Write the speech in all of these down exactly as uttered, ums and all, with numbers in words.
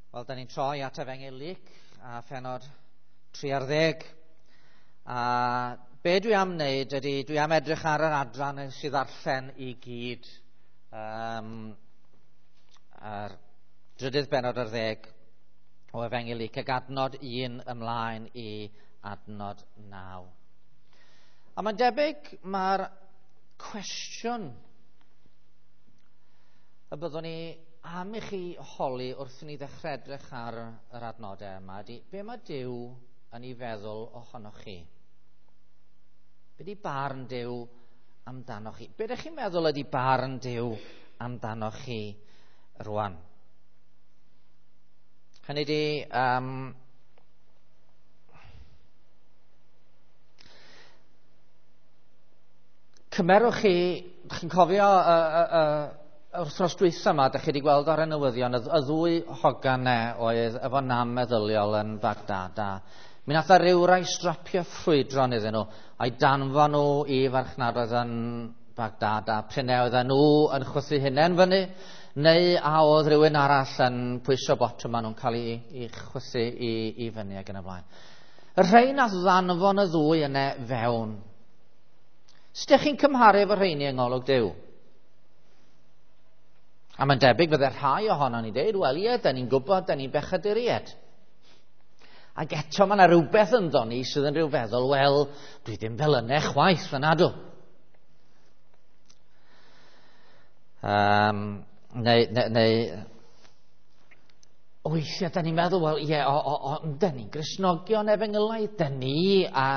Wel, da ni'n troi at Efengyl Luc a phenod tri ar ddeg. A be dwi am wneud ydy, dwi am edrych ar yr adran sydd ddarllen i gyd. Um, ar drydydd benod ar ddeg o Efengyl Luc ac adnod un ymlaen i adnod naw. A mae'n debyg mae'r cwestiwn y byddwn ni am i chi holi wrth i ni ddechrau edrych ar yr adnodau yma ydy, be mae Duw yn ei feddwl ohonoch chi? Be di barn Duw amdanoch chi? Be ydych chi'n meddwl ydy barn Duw amdanoch chi rwan? Hynny ydy, um, cymerwch chi, chi'n cofio uh, uh, uh, yr wythnos dwytha yma, dych chi wedi gweld ar y newyddion, y, y ddwy hogan ne oedd efo nam meddyliol yn Baghdad. A mi nath rywrai strapio ffrwydron iddyn nhw, a'i danfon nhw i farchnadoedd yn Baghdad, a p'un ai oedden nhw yn chwythu hunain fyny, neu a oedd rhywun arall yn pwyso botwm a nhw'n cael ei, ei chwythu i, i fyny ac yn y blaen. Y rhai nath ddanfon y ddwy yna fewn. Sut ydych chi'n cymharu efo rheini yng ngolwg Duw? A mae'n debyg fydde rhai ohonon ni dweud, wel ie, da ni'n gwybod, da ni'n bechaduriaid. Ac eto mae yna rhywbeth ynddo ni sydd yn rhyw feddwl, wel, dwi ddim fel yna chwaith, yna dw. Um, neu, neu, neu, weithiau da ni'n meddwl, wel ie, o, o, o, da ni'n Gristnogion efengylaidd, da ni a,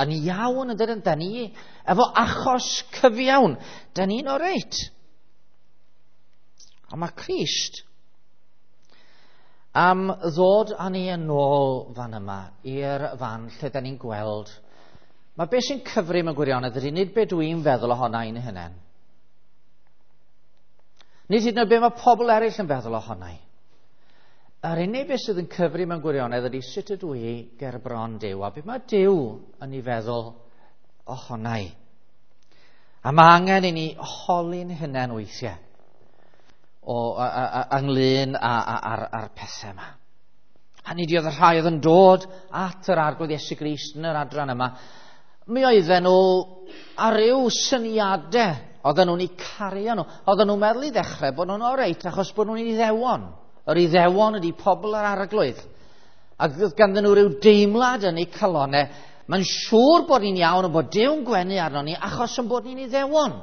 yn iawn, yn dydyn, da ni efo achos cyfiawn, da ni'n oreit. A mae Crist am ddod â ni yn ôl fan yma i'r fan lle da ni'n gweld. Mae beth sy'n cyfri mewn gwirionedd ydy nid be dwi'n feddwl ohona i'n hunain. Nid hyd yn oed be mae pobl eraill yn feddwl ohona i. Yr unig beth sydd yn cyfri mewn gwirionedd ydy sut ydw i ger bron Duw a be mae Duw yn ei feddwl ohona i. A mae angen i ni holi'n hunain weithiau o, a, a, ynglyn â'r ar pethau yma. Hynny ydy, oedd y rhai oedd yn dod at yr Arglwydd Iesu Grist yn yr adran yma, mi oedden nhw ar ryw syniadau oedden nhw'n eu cario nhw. Oedden nhw'n meddwl i ddechrau bod nhw'n oreit achos bod nhw'n Iddewon. Yr Iddewon ydy pobl yr Arglwydd. Ac oedd ganddyn nhw ryw deimlad yn eu calonau, mae'n siŵr bod ni'n iawn a bod Duw'n gwenu arno ni achos yn bod ni'n Iddewon.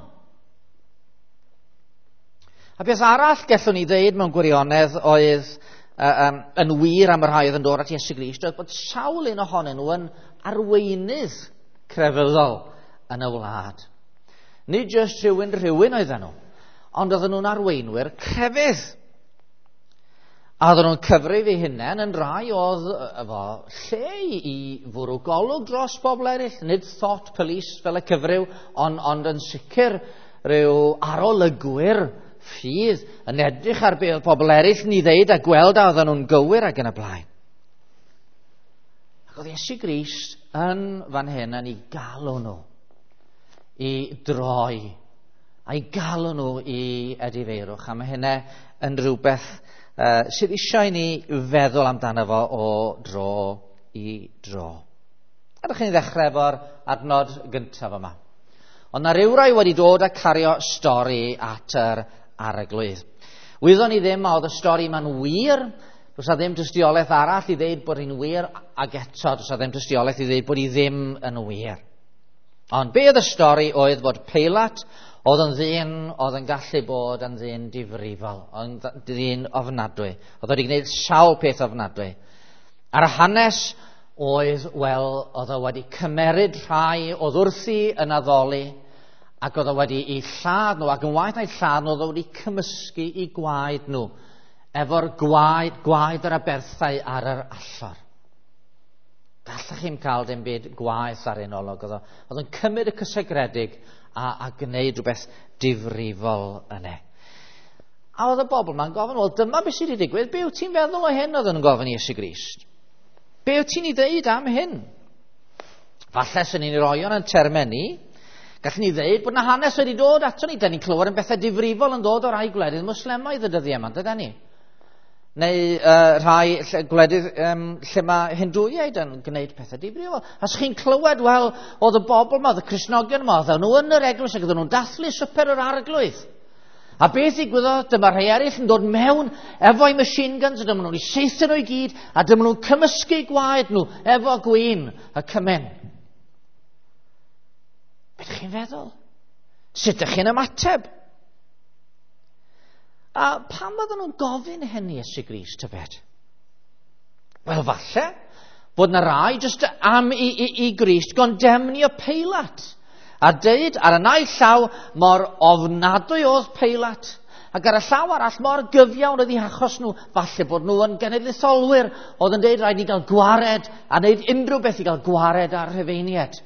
A beth arall gallwn ni ddeud mewn gwirionedd oedd uh, um, yn wir am y rhai oedd yn dod at Iesu Grist oedd bod sawl un ohonyn nhw yn arweinydd crefyddol yn y wlad. Nid jyst rhywun rhywun oedden nhw, ond oedden nhw'n arweinwyr crefydd. A oedden nhw'n cyfrif eu hunain yn rai oedd efo lle i fwrw golwg dros bobl eraill, nid thought police fel y cyfryw, ond, ond yn sicr rhyw arolygwyr ffydd yn edrych ar be oedd pobl eraill yn ei ddeud a gweld a oedden nhw'n gywir ac yn y blaen. Ac oedd Iesu Grist yn fan hyn yn ei galw nhw i droi a'i galw nhw i edifeirwch. A mae hynna yn rhywbeth uh, sydd eisiau i ni feddwl amdano fo o dro i dro. A dych chi'n ddechrau efo'r adnod gyntaf yma. Ond na rywrai wedi dod a cario stori at yr Arglwydd. Wyddon ni ddim a oedd y stori yma'n wir, does na ddim tystiolaeth arall i ddeud bod hi'n wir, ac eto does na ddim tystiolaeth i ddeud bod hi ddim yn wir. Ond be oedd y stori oedd bod Peilat oedd yn ddyn oedd yn gallu bod yn ddyn difrifol, yn ddyn ofnadwy. Oedd wedi gwneud sawl peth ofnadwy. A'r hanes oedd, wel, oedd o wedi cymeryd rhai oedd wrthi yn addoli, ac oedd o wedi eu lladd nhw, ac yn waeth na'i lladd nhw, oedd o wedi cymysgu eu gwaed nhw, efo'r gwaed, gwaed yr aberthau ar yr allor. Gallech chi'm cael dim byd gwaeth ar un olwg. Oedd o, oedd o'n cymryd y cysegredig a, a gwneud rhywbeth difrifol yna. A oedd y bobl yma'n gofyn, wel dyma beth sydd wedi digwydd, be wyt ti'n feddwl o hyn, oedd yn gofyn i Iesu Grist? Be wyt ti'n ei ddeud am hyn? Falle sy'n ni'n roi o'n termau ni. Gallwn ni ddeud bod na hanes wedi dod ato ni. Da ni'n clywed yn bethau difrifol yn dod o'r rhai gwledydd Mwslemaidd y dyddiau yma, dydan ni? Neu uh, rhai lle, gwledydd um, lle mae Hindwiaid yn gwneud pethau difrifol. A os chi'n clywed, wel, oedd y bobl yma, oedd y Cristnogion yma, oedd nhw yn yr eglwys ac oedden nhw'n dathlu swper yr Arglwydd. A beth ddigwyddodd, dyma rhai eraill yn dod mewn efo'u machine guns, a dyma nhw'n eu saethu nhw i gyd, a dyma nhw'n cymysgu gwaed nhw efo gwin y cymun. Beth ydych chi'n feddwl? Sut ydych chi'n ymateb? A pam oedden nhw'n gofyn hynny Iesu Grist, tybed? Wel, falle bod na rai jyst am i, i, i Grist gondemnio Peilat. A deud ar y naill llaw mor ofnadwy oedd Peilat, ac ar y llaw arall mor gyfiawn oedd eu hachos nhw, falle bod nhw yn genedlaetholwyr oedd yn deud rhaid ni gael gwared a wneud unrhyw beth i gael gwared ar Rhufeiniaid.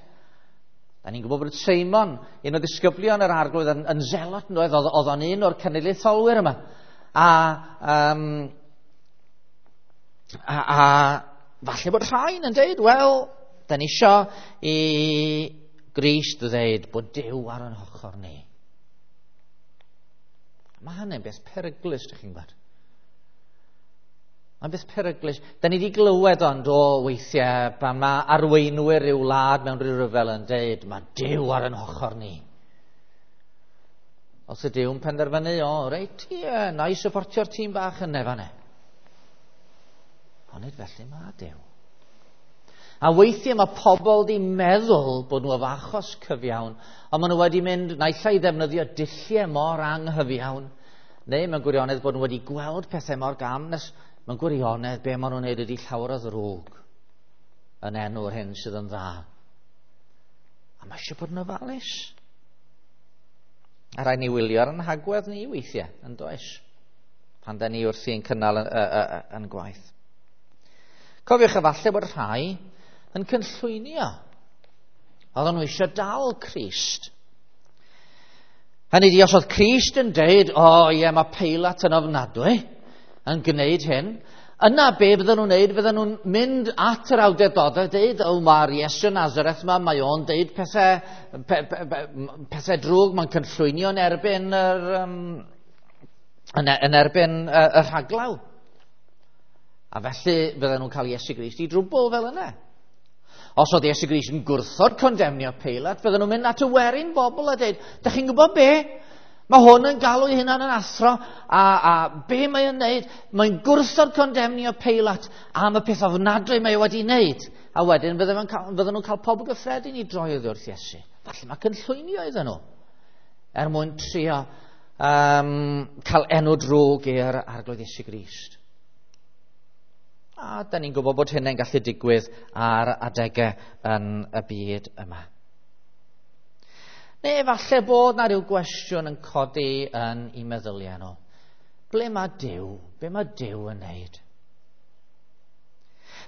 Da ni'n gwybod bod Seimon, un o ddisgyblion yr Arglwydd, yn, yn zelot yn oedd, oedd o'n un o'r cenedlaetholwyr yma. A, um, a, a falle bod rhain yn deud, wel, da ni isio i Grist ddeud bod Duw ar yn hochr ni. Mae hynny'n beth peryglus, ydych chi'n gwybod. Mae'n beth peryglus. Da ni wedi glywed ond o weithiau pan mae arweinwyr ryw wlad mewn rhyw ryfel yn deud, mae Duw ar yn hochr ni. Os y Duw'n penderfynu, o, reit, ie, na i supportio'r tîm bach yn fan'na. Ond nid felly mae Duw. A weithiau mae pobl di meddwl bod nhw efo achos cyfiawn, ond maen nhw wedi mynd naill ai i ddefnyddio dulliau mor anghyfiawn, neu mewn gwirionedd bod nhw wedi gweld pethau mor gam nes mewn gwirionedd be maen nhw'n neud ydy llawer o ddrwg yn enw'r hyn sydd yn dda. A mae eisiau bod yn ofalus. A rhaid ni wylio ar yn hagwedd ni weithiau, yn does? Pan da ni wrthi yn cynnal yn, yn, yn gwaith. Cofiwch efallai bod rhai yn cynllwynio. Oedden nhw eisiau dal Crist. Hynny ydi, os oedd Crist yn deud, o oh, ie, mae Peilat yn ofnadwy yn gwneud hyn, yna be fydden nhw'n neud? Fydden nhw'n mynd at yr awdurdodau a deud, o, mae'r Iesu Nazareth yma, mae o'n deud pethau, pe, pe, pe, pethau drwg, mae'n cynllwynio yn erbyn yr, um, yn, yn erbyn y, y rhaglaw. A felly fydden nhw'n cael Iesu Grist i drwbl fel yna. Os oedd Iesu Grist yn gwrthod condemnio Peilat, fydden nhw'n mynd at y werin bobl a deud, da chi'n gwybod be? Mae hwn yn galw ei hunan yn athro, a, a be mae o'n neud? Mae'n gwrthod condemnio Peilat am y peth ofnadwy mae o wedi wneud. A wedyn fydden nhw'n cael, fydden nhw'n cael pobl gyffredin i droi oddi wrth Iesu. Falle mae cynllwynio iddyn nhw, er mwyn trio um, cael enw drwg i'r Arglwydd Iesu Grist. A da ni'n gwybod bod hynny'n gallu digwydd ar adegau yn y byd yma. Neu efallai bod na rhyw gwestiwn yn codi yn eu meddyliau nhw. Ble mae Duw? Be mae Duw yn neud?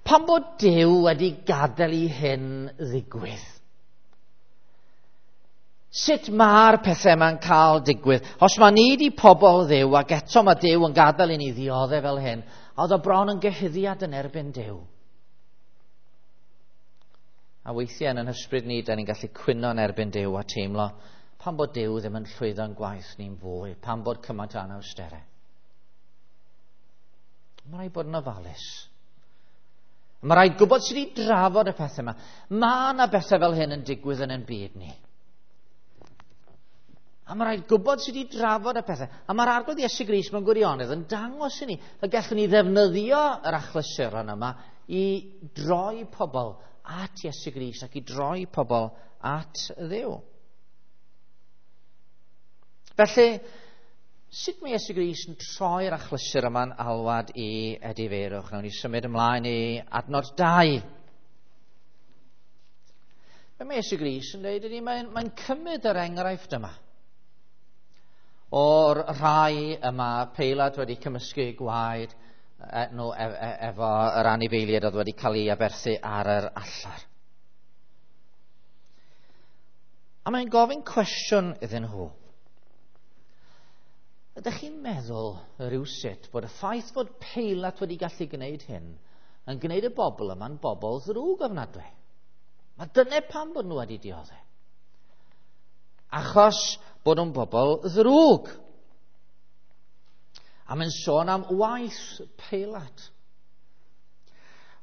Pam bod Duw wedi gadael i hyn ddigwydd? Sut mae'r pethau yma'n cael digwydd? Os mae ni di pobl Dduw ac eto mae Duw yn gadael i ni ddioddef fel hyn, oedd o bron yn gyhuddiad yn erbyn Duw. A weithiau yn yn hysbryd ni, da ni'n gallu cwyno yn erbyn Duw a teimlo pam bod Duw ddim yn llwyddo'n gwaith ni'n fwy, pam bod cymaint o anawsterau. Mae rhaid bod yn ofalus. Mae rhaid gwybod sut i drafod y pethau yma. Mae yna bethau fel hyn yn digwydd yn ein byd ni. A mae rhaid gwybod sut i drafod y pethau. A mae'r Arglwydd Iesu Grist mewn gwirionedd yn dangos i ni y gallwn ni ddefnyddio yr achlysuron yma i droi pobl at Iesu Grist ac i droi pobl at Dduw. Felly, sut mae Iesu Grist yn troi'r achlysur yma'n alwad i edifeirwch? Nawn ni symud ymlaen i adnod dau. Be mae Iesu Grist yn dweud ydy mae'n mae cymryd yr enghraifft yma o'r rhai yma Peilat wedi cymysgu gwaed nhw efo yr anifeiliaid oedd wedi cael ei aberthu ar yr allar. A mae'n gofyn cwestiwn iddyn nhw. Ydych chi'n meddwl rhywsut bod y ffaith fod Peilat wedi gallu gwneud hyn yn gwneud y bobl yma'n bobl ddrwg ofnadwy? Mae dyna pam bod nhw wedi dioddef. Achos bod nhw'n bobl ddrwg. A mae'n sôn am waith Peilat.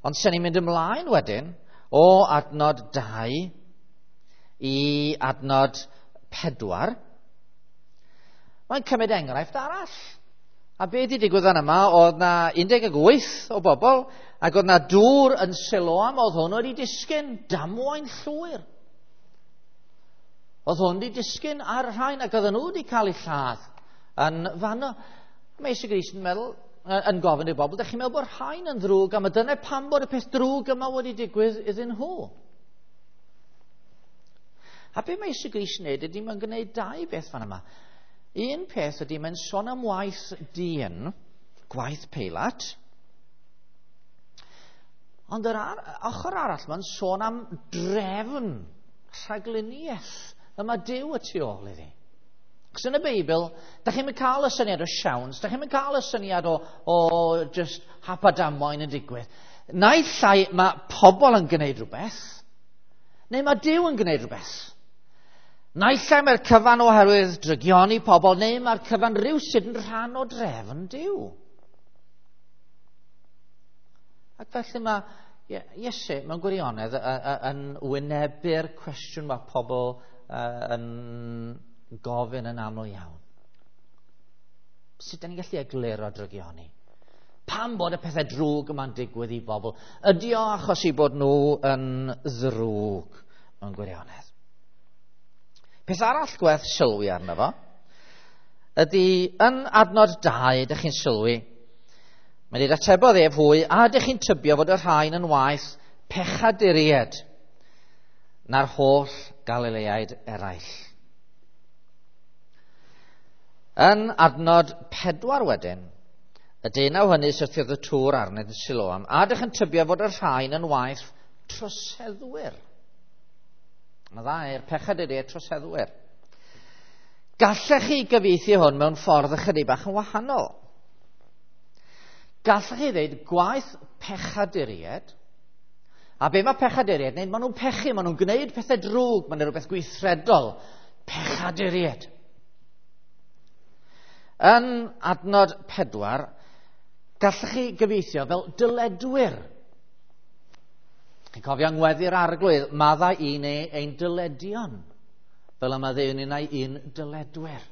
Ond sy'n ni'n mynd ymlaen wedyn o adnod dau i adnod pedwar, mae'n cymryd enghraifft arall. A be di digwydd fan yma, oedd na un deg wyth o bobl, ac oedd na dŵr yn Siloam, oedd hwn wedi disgyn, damwain llwyr. Oedd hwn wedi disgyn ar y rhain, ac oedden nhw wedi cael eu lladd yn fanno. Mae Iesu Grist yn meddwl, yn gofyn i'r bobl, dych chi'n meddwl bod rhain yn ddrwg, am y dyna pam bod y peth drwg yma wedi digwydd iddyn nhw. A be mae Iesu Grist yn neud ydy mae'n gwneud dau beth fan yma. Un peth ydy mae'n sôn am waith dyn, gwaith Peilat, ond yr ar, ochr arall mae'n sôn am drefn, rhagluniaeth, y mae Duw y tu ôl iddi. Cos yn y Beibl, da chi'n mynd cael y syniad o siawns, da chi'n mynd cael y syniad o, o just hap a damwain yn digwydd. Naill ai mae pobl yn gwneud rhywbeth, neu mae Duw yn gwneud rhywbeth. Naill ai mae'r cyfan oherwydd drygioni pobl, neu mae'r cyfan rhywsut yn rhan o drefn Duw. Ac felly mae Iesu mewn gwirionedd yn wynebu'r cwestiwn mae pobl yn gofyn yn aml iawn. Sut da ni'n gallu egluro drygioni? Pam bod y pethau drwg yma'n digwydd i bobl? Ydy o achos i bod nhw yn ddrwg mewn gwirionedd? Peth arall gwerth sylwi arno fo ydy yn adnod dau, ydych chi'n sylwi, mae'n dweud atebodd ef hwy, a ydych chi'n tybio fod y rhain yn waeth pechaduriaid na'r holl Galileaid eraill. Yn adnod pedwar wedyn, y deunaw hynny syrthiodd y tŵr arnynt yn Siloam, a ydych yn tybio fod y rhain yn waeth troseddwyr. Mae ddau'r pechaduriaid troseddwyr. Gallech chi gyfieithu hwn mewn ffordd ychydig bach yn wahanol. Gallech chi ddeud gwaith pechaduriaid, a be mae pechaduriaid yn neud? Maen nhw'n pechu, maen nhw'n gwneud pethau drwg, maen nhw'n rhywbeth gweithredol. Pechaduriaid. Yn adnod pedwar, gallech chi gyfieithio fel dyledwyr. Chi'n cofio ngweddi'r Arglwydd, maddau i ni ein dyledion, fel y maddeuwn ninnau i'n dyledwyr.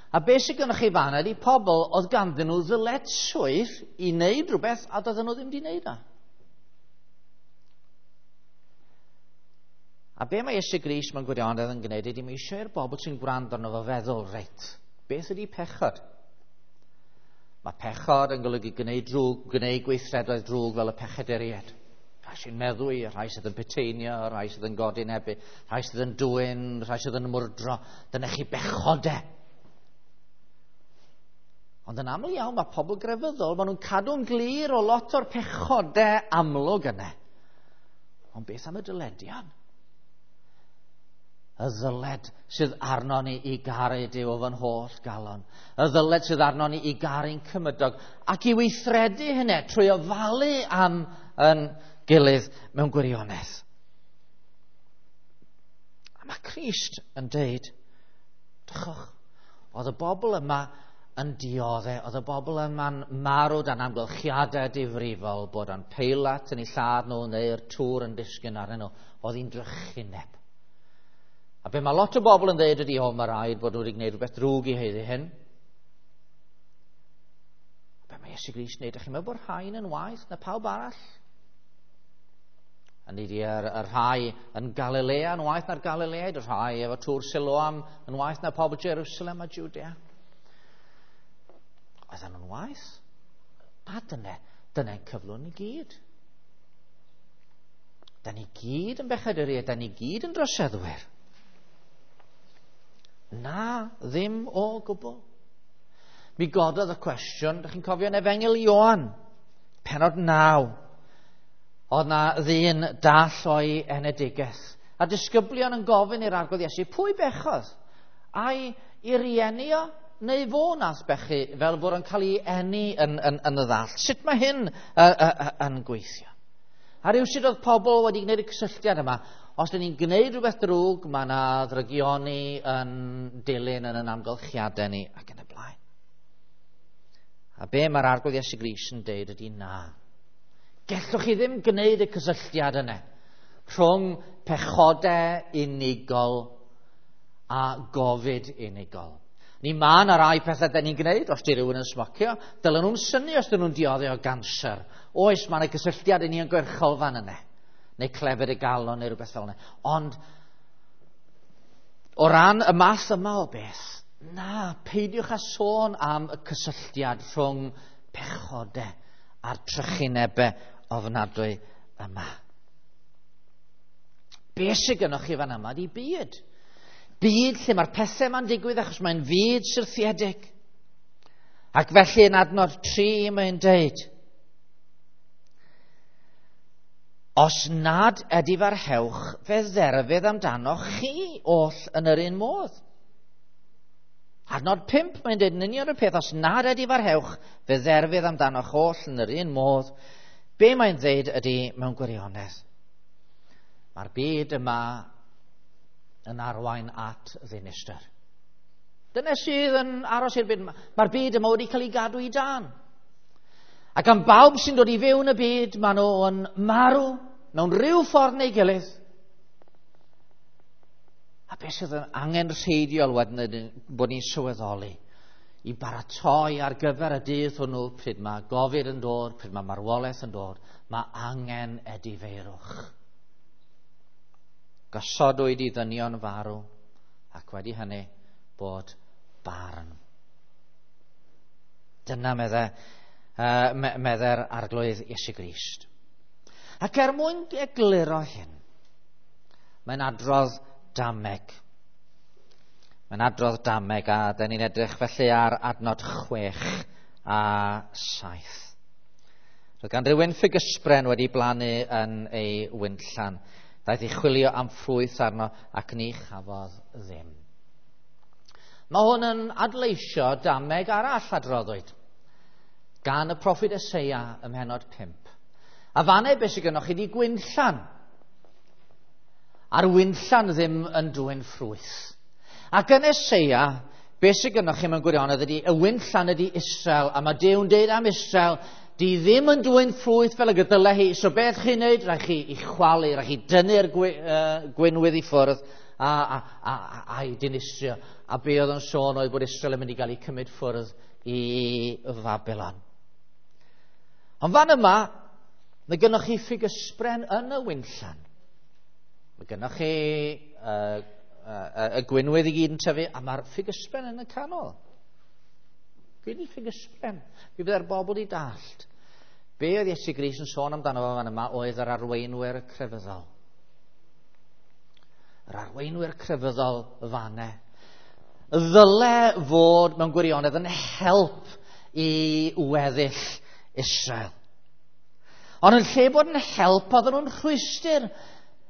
A beth sydd gennych chi fan ydy pobl oedd ganddyn nhw ddyletswydd i wneud rhywbeth a doedden nhw ddim wedi wneud o. A be mae Iesu Grist mewn gwirionedd yn gwneud ydy mae eisiau i'r bobl sy'n gwrando arno fo feddwl, reit, beth ydy pechod? Mae pechod yn golygu gwneud drwg, gwneud gweithredoedd drwg fel y pechaduriaid. Rhai sy'n meddwi, rhai sydd yn peteinio, rhai sydd yn godinebu, rhai sydd yn dwyn, rhai sydd yn mwrdro. Dyna chi bechodau. Ond yn aml iawn mae pobl grefyddol, maen nhw'n cadw'n glir o lot o'r pechodau amlwg yna. Ond beth am y dyledion? Y ddyled sydd arno ni i garu Duw o fy holl galon. Y ddyled sydd arno ni i garu'n cymydog ac i weithredu hynny trwy ofalu am yn gilydd mewn gwirionedd. A mae Crist yn deud, drychwch, oedd y bobl yma yn dioddef, oedd y bobl yma'n marw dan amgylchiadau difrifol, bod yn Peilat yn eu lladd nhw neu'r tŵr yn disgyn arnyn nhw, oedd hi'n drychineb. A be mae lot o bobl yn dweud ydy, o, mae rhaid bod nhw wedi gwneud rhywbeth drwg i haeddu hyn. A be mae Iesu Grist yn neud? Ydych chi'n meddwl bod rhain yn waeth na pawb arall? A ni di yr, y rhai yn Galilea yn waeth na'r Galileaid, y rhai efo tŵr Siloam yn waeth na pobl Jerusalem a Judea. Oedden nhw'n waeth? A dyna, dyna'n cyflwr ni gyd. Da ni gyd yn bechaduriaid, da ni gyd yn droseddwyr. Na, ddim o gwbl. Mi gododd y cwestiwn, ydych chi'n cofio yn Efengyl Ioan, pennod naw. Oedd na ddyn dall o'i enedigaeth. A disgyblion yn gofyn i'r Arglwydd Iesu, pwy bechodd? Ai i rieni o, neu fo nath bechu fel bod yn cael ei eni yn, yn, yn y ddall? Sut mae hyn uh, uh, uh, yn gweithio? A rhywsut oedd pobl wedi gwneud y cysylltiad yma. Os dyn ni'n gwneud rhywbeth drwg, mae yna ddrygioni yn dilyn yn yn amgylchiadau ni ac yn y blaen. A be mae'r Arglwydd Iesu Grist yn deud ydy na. Gellwch chi ddim gwneud y cysylltiad yna rhwng pechodau unigol a gofid unigol. Ni ma na rai pethau da ni'n gwneud, os di rhywun yn smocio, dylen nhw'n synnu os dyn nhw'n dioddef o ganser. Oes, mae yna gysylltiad i ni yn gwerchol fan yna, neu clefyd y galon neu rhywbeth fel yna. Ond, o ran y math yma o beth, na, peidiwch â sôn am y cysylltiad rhwng pechodau a'r trychinebau ofnadwy yma. Be sydd gennych chi fan yma di byd. Byd lle mae'r pethau yma'n digwydd achos mae'n fyd syrthiedig. Ac felly yn adnod tri mae'n deud, os nad edifarhewch, fe dderfydd amdanoch chi oll yn yr un modd. Adnod pump mae'n deud yn union y peth, os nad edifarhewch, fe dderfydd amdanoch oll yn yr un modd. Be mae'n dweud ydy mewn gwirionedd? Mae'r byd yma yn arwain at ddinistr. Dyna sydd yn aros i'r byd yma. Mae'r byd yma wedi cael ei gadw i dan. Ac am bawb sy'n dod i fewn y byd, maen nhw'n marw mewn rhyw ffordd neu gilydd. A beth sydd yn angenrheidiol wedyn ydy bod ni'n sylweddoli i baratoi ar gyfer y dydd hwnnw pryd mae gofid yn dod, pryd mae marwolaeth yn dod, mae angen edifeirwch. Gosodwyd i ddynion farw, ac wedi hynny bod barn. Dyna medde, uh, medde'r Arglwydd Iesu Grist. Ac er mwyn egluro hyn, mae'n adrodd dameg. Mae'n adrodd dameg, a dyn ni'n edrych felly ar adnod chwech a saith. Roedd gan rhywun ffigysbren wedi blannu yn ei wynllan. Daeth i chwilio am ffrwyth arno ac ni chafodd ddim. Mae hwn yn adleisio dameg arall adroddwyd gan y proffwyd Eseia ym mhennod pump. A fanne beth sydd gennych chi di gwynllan. A'r wynllan ddim yn dwyn ffrwyth. Ac yn Eseia, beth sydd gennych chi mewn gwirionedd ydy, y wynllan ydy Israel, a mae Duw'n deud am Israel, di ddim yn dwyn ffrwyth fel y gydyle hi, so beth chi'n neud? Rhaid chi i chwalu, rhaid chi dynnu'r gwy, uh, gwynwydd i ffwrdd a, a, a, a, a'i dinistrio. A be oedd yn sôn oedd bod Israel yn mynd i gael ei cymryd ffwrdd i Fabilon. Ond fan yma, mae gennych chi ffigysbren yn y wynllan. Mae gennych chi uh, uh, y gwynwydd i gyd yn tyfu, a mae'r ffigysbren yn y canol. Be di ffigysbren? Be byddai'r bobl i dallt? Be oedd Iesu Grist yn sôn amdano fo fan yma oedd yr arweinwyr crefyddol. Yr arweinwyr crefyddol fanne. Ddyle fod mewn gwirionedd yn help i weddill Israel. Ond yn lle bod yn help, oedden nhw'n rhwystr.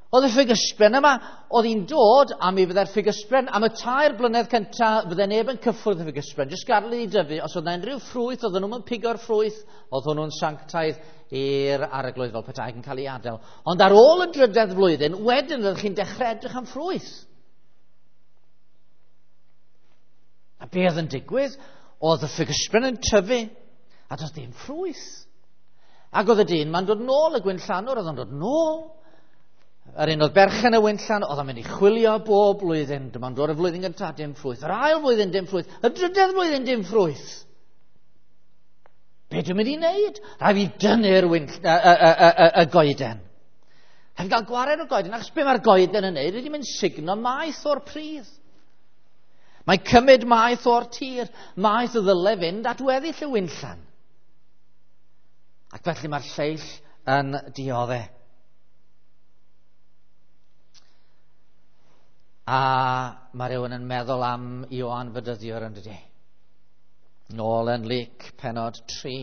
Oedd y ffigysbren yma, oedd hi'n dod, a mi fydde'r ffigysbren, am y tair blynedd cyntaf, fydde neb yn cyffwrdd y ffigysbren, jyst gadael iddi dyfu. Os oedd yna unrhyw ffrwyth, oedden nhw'n pigo'r ffrwyth, oedd hwnnw'n sanctaidd i'r arglwydd fel petai yn cael ei adael. Ond ar ôl y drydedd flwyddyn, wedyn oeddech chi'n dechrau edrych am ffrwyth. A be oedd yn digwydd? Oedd y ffigysbren yn tyfu, a doedd dim ffrwyth. Ac oedd y dyn ma'n dod nôl, y gwynllanwr oedd yn dod nôl. Yr un oedd berchen y wynllan, oedd o'n mynd i chwilio bob blwyddyn. Dyma'n dod y flwyddyn gyntaf, dim ffrwyth. Yr ail flwyddyn, dim ffrwyth. Y drydedd flwyddyn, dim ffrwyth. Be dwi'n mynd i wneud? Rhaid fi dynnu'r y, y, y, y, y goeden. Rhaid fi gael gwared o'r goeden, achos be mae'r goeden yn wneud? Ydy mynd sugno maeth o'r pridd. Mae'n cymryd maeth o'r tir, maeth y ddyle fynd at weddill y wynllan. Ac felly mae'r lleill yn dioddef. A mae rhywun yn meddwl am Ioan Fedyddiwr yn dydi. Nôl yn Luc pennod tri.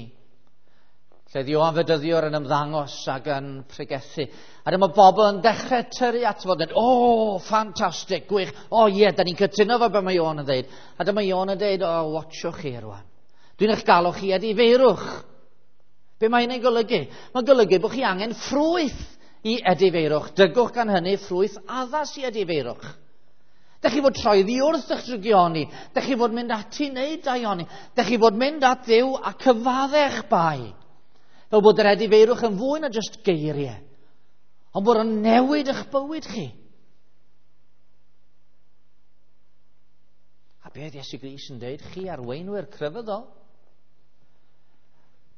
Lle oedd Ioan Fedyddiwr yn ymddangos ac yn pregethu. A dyma bobl yn dechrau tyrru at fod yn, o, oh, ffantastig, gwych, o oh, ie, yeah, da ni'n cytuno fo be mae Ioan yn dweud. A dyma Ioan yn dweud, o, oh, watchwch chi rwan. Dwi'n eich galw chi edifeirwch. Be mae hynny'n golygu? Mae'n golygu bod chi angen ffrwyth i edifeirwch. Dygwch gan hynny ffrwyth addas i edifeirwch. Dych chi fod troi ddi wrth eich drygioni. Dych chi fod mynd ati wneud daioni. Dych chi fod mynd at Dduw a cyfaddech bai. Fel bod yr edifeirwch yn fwy na jyst geiriau. Ond bod o'n newid eich bywyd chi. A beth Iesu Grist yn dweud, chi arweinwyr crefyddol.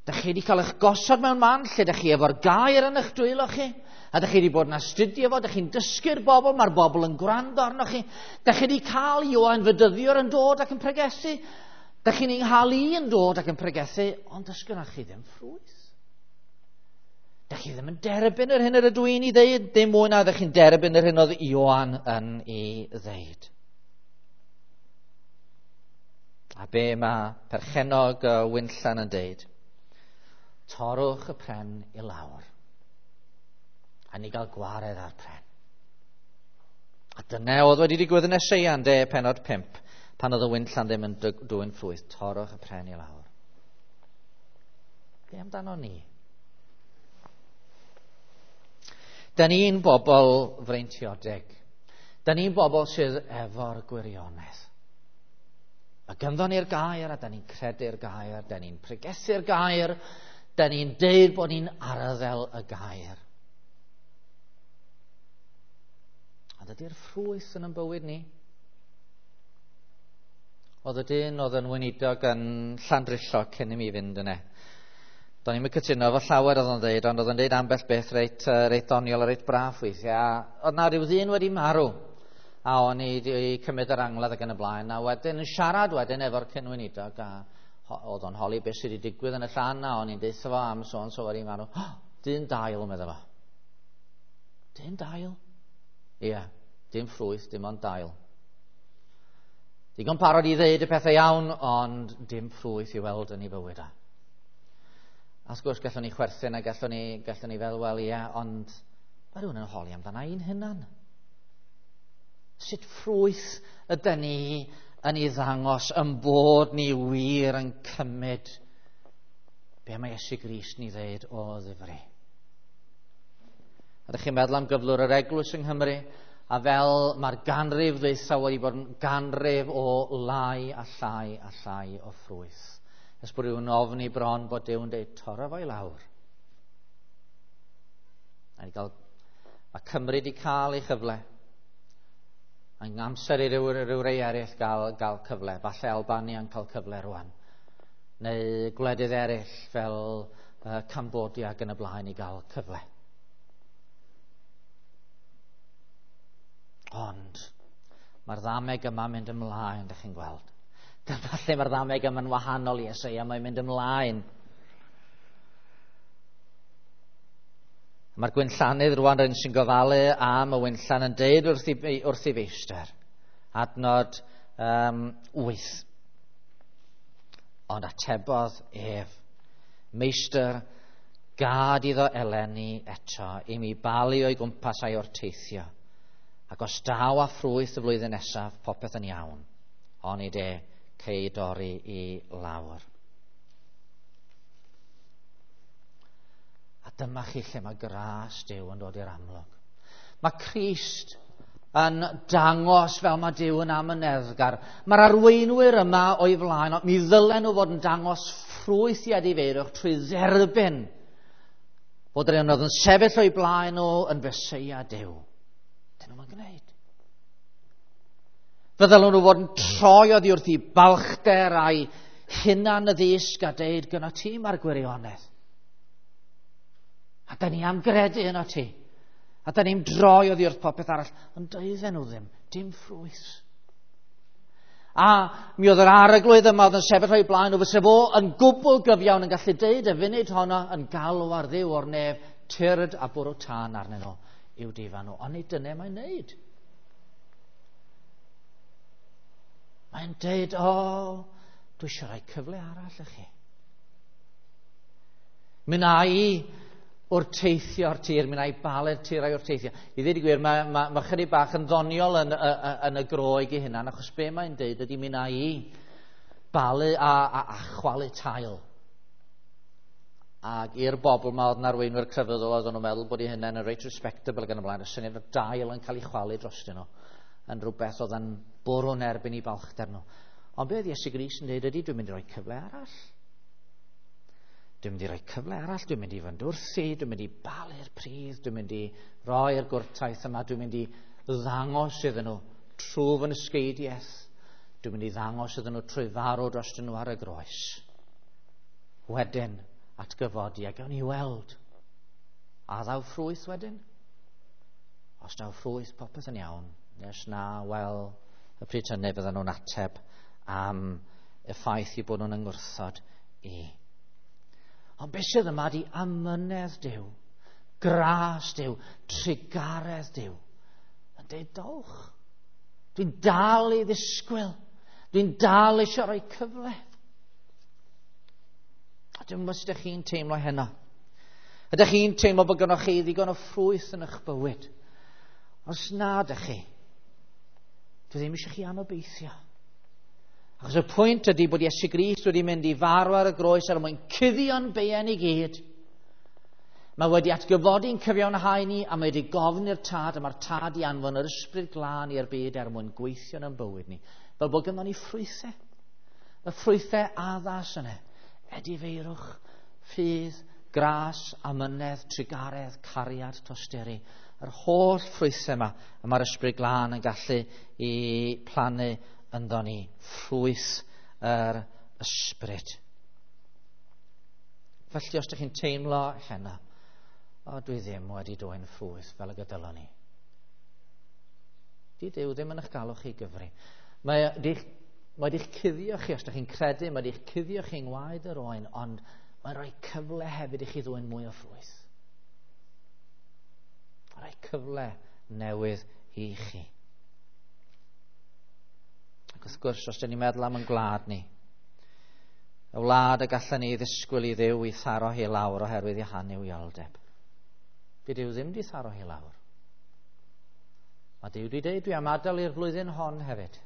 Dych chi wedi cael eich gosod mewn man lle dych chi efo'r gair yn eich dwylo chi, a dych chi wedi bod yn astudio fo, dych chi'n dysgu'r bobl, mae'r bobl yn gwrando arnoch chi. Dych chi wedi cael Ioan Fedyddiwr yn dod ac yn pregethu. Dych chi'n ei chael i yn dod ac yn pregethu, ond does gynnoch chi ddim ffrwyth. Dych chi ddim yn derbyn yr hyn yr ydw i'n ei ddeud, dim mwy na ddych chi'n derbyn yr hyn oedd Ioan yn ei ddeud. A be mae perchennog y winllan yn deud? Torrwch y pren i lawr. A ni gael gwared ar pren. A dyna oedd wedi digwydd yn Eseia, de, penod pump, pan oedd y winllan ddim yn dwyn ffrwyth. Torrwch y pren i lawr. Be amdano ni? Da ni'n bobl freintiodeg. Da ni'n bobl sydd efo'r gwirionedd. Mae ganddo ni'r gair, a da ni'n credu'r gair, da ni'n pregethu'r gair, da ni'n deud bod ni'n arddel y gair. A dydy'r ffrwyth yn ein bywyd ni. Oedd y dyn oedd yn weinidog yn Llandrillo cyn i mi fynd yna. Do'n i'm yn cytuno efo llawer oedd o'n dweud, ond oedd o'n dweud ambell beth reit, reit doniol a reit braff weithiau. Oedd na rhyw ddyn wedi marw, a o'n i wedi cymryd yr angladd ac yn y blaen, a wedyn yn siarad wedyn efo'r cyn-weinidog, a oedd o'n holi beth sydd wedi digwydd yn y llan, a o'n i'n deutha fo am so on so wedi marw. Oh, dyn dail, medda fo. Dyn dail? Ie, yeah, dim ffrwyth, dim ond dail. Digon parod i ddeud y pethau iawn, ond dim ffrwyth i weld yn ei fywyd a. A wrth gwrs, gallwn ni chwerthin a gallwn ni, gallwn ni fel, wel, ie, ond mae rhywun yn holi amdana i'n hunan. Sut ffrwyth ydyn ni yn ei ddangos yn bod ni wir yn cymryd be mae Iesu Grist ni ddeud o ddifri. A ydych chi'n meddwl am gyflwr yr eglwys yng Nghymru, a fel mae'r ganrif ddwytha wedi bod yn ganrif o lai a llai a llai o ffrwyth. Ers bod rhywun ofni bron bod Duw yn dweud, torra fo i lawr. A ni gael, mae Cymru wedi cael ei chyfle. Mae'n amser i ryw, ryw rei eraill gael, gael cyfle. Falle Albania yn cael cyfle rwan. Neu gwledydd eraill fel uh, Cambodia ac yn y blaen i gael cyfle. Ond mae'r ddameg yma'n mynd ymlaen, dych chi'n gweld. Dyma lle mae'r ddameg yma'n wahanol i Eseia, mae'n mynd ymlaen. Mae'r gwinllannydd rwan rhywun sy'n gofalu am y winllan yn deud wrth ei, wrth ei feistr, adnod um, wyth. Ond atebodd ef, meistr, gad iddo eleni eto i mi balu o'i gwmpas a'i orteithio. Ac os daw a ffrwyth y flwyddyn nesaf, popeth yn iawn. Onid e, cei dorri i lawr. A dyma chi lle mae gras Duw yn dod i'r amlwg. Mae Crist yn dangos fel mae Duw yn amyneddgar. Mae'r arweinwyr yma o'i flaen, ond mi ddylen nhw fod yn dangos ffrwyth i edifeirwch trwy dderbyn bod yr un oedd yn sefyll o'i blaen nhw yn Feseia Duw. Dyn nhw'n gwneud. Fe ddylen nhw fod yn troi oddi wrth i balchder a'i hunan y ddysg a deud gyda ti mae'r gwirionedd. A da ni am gredu yno ti. A da ni'n droi oddi wrth popeth arall. Ond doedden nhw ddim, dim ffrwyth. A mi oedd yr arglwydd yma oedd yn sefyll o'i blaen nhw, fysa fo yn gwbl gyfiawn yn gallu deud y funud honno yn galw ar Dduw o'r nef, tyrd a bwrw tân arnyn nhw i'w difa nhw. Ond nid dyna mae'n neud. Mae'n deud, o, oh, dwi eisiau rhoi cyfle arall i chi. Mi wna i wrteithio'r tir, mi wna i balu'r tir a'i wrteithio. I ddweud y gwir, mae, mae, mae chydig bach yn ddoniol yn, yn, yn y Groeg ei hunan, achos be mae'n deud ydy mi wna i balu a, a, a chwalu tail. Ac i'r bobl ma oedd yn arweinwyr crefyddol, oedden nhw'n meddwl bod eu hunain yn reit respectable ac yn y blaen. Y syniad o dail yn cael ei chwalu drostyn nhw yn rhywbeth oedd yn bwrw'n erbyn i balchder nhw. Ond be oedd Iesu Grist yn dweud ydy, dwi'n mynd i roi cyfle arall. Dwi'n mynd i roi cyfle arall, dwi'n mynd i fynd wrthi, dwi'n mynd i balu'r pridd, dwi'n mynd i roi'r gwrtaith yma, dwi'n mynd i ddangos iddyn nhw trwy fy nysgeidiaeth. Dwi'n mynd i ddangos iddyn nhw trwy farw drostyn nhw ar y groes. Wedyn, atgyfodi a gawn ni weld. A ddaw ffrwyth wedyn? Os daw ffrwyth, popeth yn iawn. Nes na, wel, y pryd hynny fydden nhw'n ateb am y ffaith i bod nhw'n yngwrthod i. Ond beth sydd yma di amynedd Duw, gras Duw, trugaredd Duw. Yn deud, dowch. Dwi'n dal i ddisgwyl. Dwi'n dal eisiau rhoi cyfle. A dwi'n gwybod sut ydych chi'n teimlo heno. Ydych chi'n teimlo bod gynnwch chi ddigon o ffrwyth yn eich bywyd? Os na ydych chi, dwi ddim eisiau chi anobeithio. Achos y pwynt ydy bod Iesu Grist wedi mynd i farw ar y groes er mwyn cuddio'n beiau ni gyd. Mae wedi atgyfodi'n cyfiawnhau ni a mae wedi gofyn i'r Tad, a mae'r Tad i anfon yr Ysbryd Glân i'r byd er mwyn gweithio yn bywyd ni. Fel bod gynnon ni ffrwythau. Y ffrwythau addas yna. Edifeirwch, ffydd, gras, amynedd, trugaredd, cariad, tosturi. Yr holl ffrwythau yma, y mae'r Ysbryd Glân yn gallu i plannu ynddo ni. Ffrwyth yr Ysbryd. Felly os ydych chi'n teimlo heno, o, dwi ddim wedi dwyn ffrwyth fel y gydylon ni. Di Duw ddim yn eich galw chi gyfri. Mae di'ch, mae di'ch cuddio chi, os ydych chi'n credu, mae di'ch cuddio chi yng ngwaed yr oen, ond mae'n rhoi cyfle hefyd i chi ddwyn mwy o ffrwyth. Mae'n rhoi cyfle newydd i chi. Ac wrth gwrs, os ydych ni'n meddwl am yn gwlad ni, y wlad y gallen ni ddisgwyl i Dduw i tharo hi lawr oherwydd ei hanuwioldeb. Di Duw ddim di tharo hi lawr. Mae Duw di dweud, dwi am adael i'r flwyddyn hon hefyd.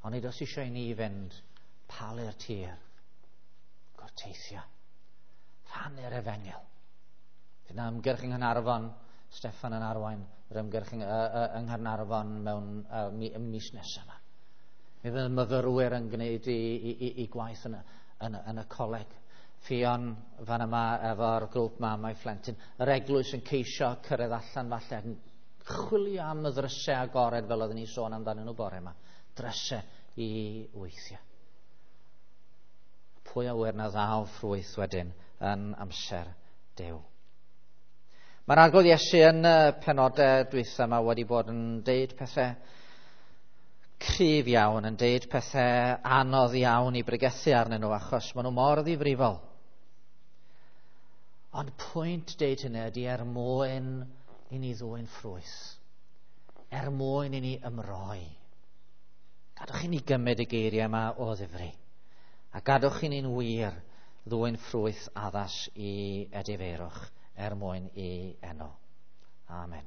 Ond nid oes eisiau i ni fynd palu'r tir, gwrteithio, rhannu'r efengyl. Fydd yna ymgyrch yng Nghaernarfon, Steffan yn arwain yr ymgyrch yng, yng Nghaernarfon mewn uh, mis nesaf yma. Mi fydd myfyrwyr yn gwneud i, i, i, i gwaith yn, yn, yn y coleg. Ffion fan yma efo'r grŵp mamau phlentyn. Yr eglwys yn ceisio cyrraedd allan falle yn chwilio am y ddrysau agored fel oedden ni sôn amdanyn nhw bore yma. Drysau i weithio. Pwy a ŵyr na ddaw ffrwyth wedyn yn amser Duw. Mae'r Arglwydd Iesu yn y penodau dwytha yma wedi bod yn deud pethau cryf iawn, yn deud pethau anodd iawn i bregethu arnyn nhw achos maen nhw mor ddifrifol. Ond pwynt deud hynny ydy er mwyn i ni ddwyn ffrwyth, er mwyn i ni ymroi. Gadwch i ni gymryd y geiriau yma o ddifri, a gadwch i ni'n wir ddwyn ffrwyth addas i edifeirwch er mwyn i enw. Amen.